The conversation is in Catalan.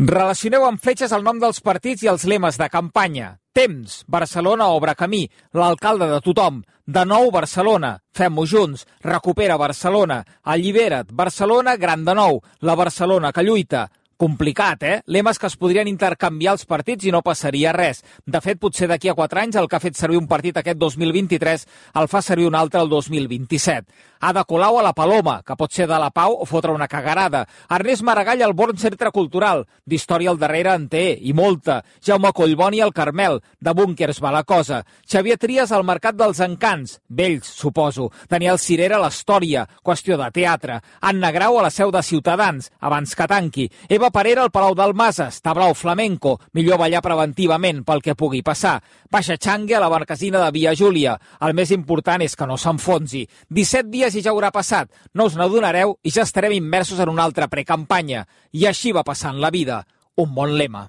Relacioneu amb fletxes el nom dels partits i els lemes de campanya. Temps, Barcelona obre camí, l'alcalde de tothom. De nou Barcelona, fem-ho junts. Recupera Barcelona, allibera't, Barcelona gran de nou, la Barcelona que lluita. Complicat, Lemes que es podrien intercanviar els partits i no passaria res. De fet, potser d'aquí a 4 anys el que ha fet servir un partit aquest 2023 el fa servir un altre el 2027. Ada Colau a la Paloma, que pot ser de la Pau o fotre una cagarada. Ernest Maragall al Born Centre Cultural, d'història al darrere en té, i molta. Jaume Collboni al Carmel, de búnquers va la cosa. Xavier Trias al Mercat dels Encants, vells, suposo. Daniel Cirera a l'Història, qüestió de teatre. Anna Grau a la seu de Ciutadans, abans que tanqui. Eva Parera al Palau d'Almases, tablao flamenco, millor ballar preventivament pel que pugui passar. Baixa Changue a la Marquesina de Via Júlia. El més important és que no s'enfonsi. 17 dies i ja haurà passat. No us n'adonareu i ja estarem immersos en una altra precampanya. I així va passant la vida. Un bon lema.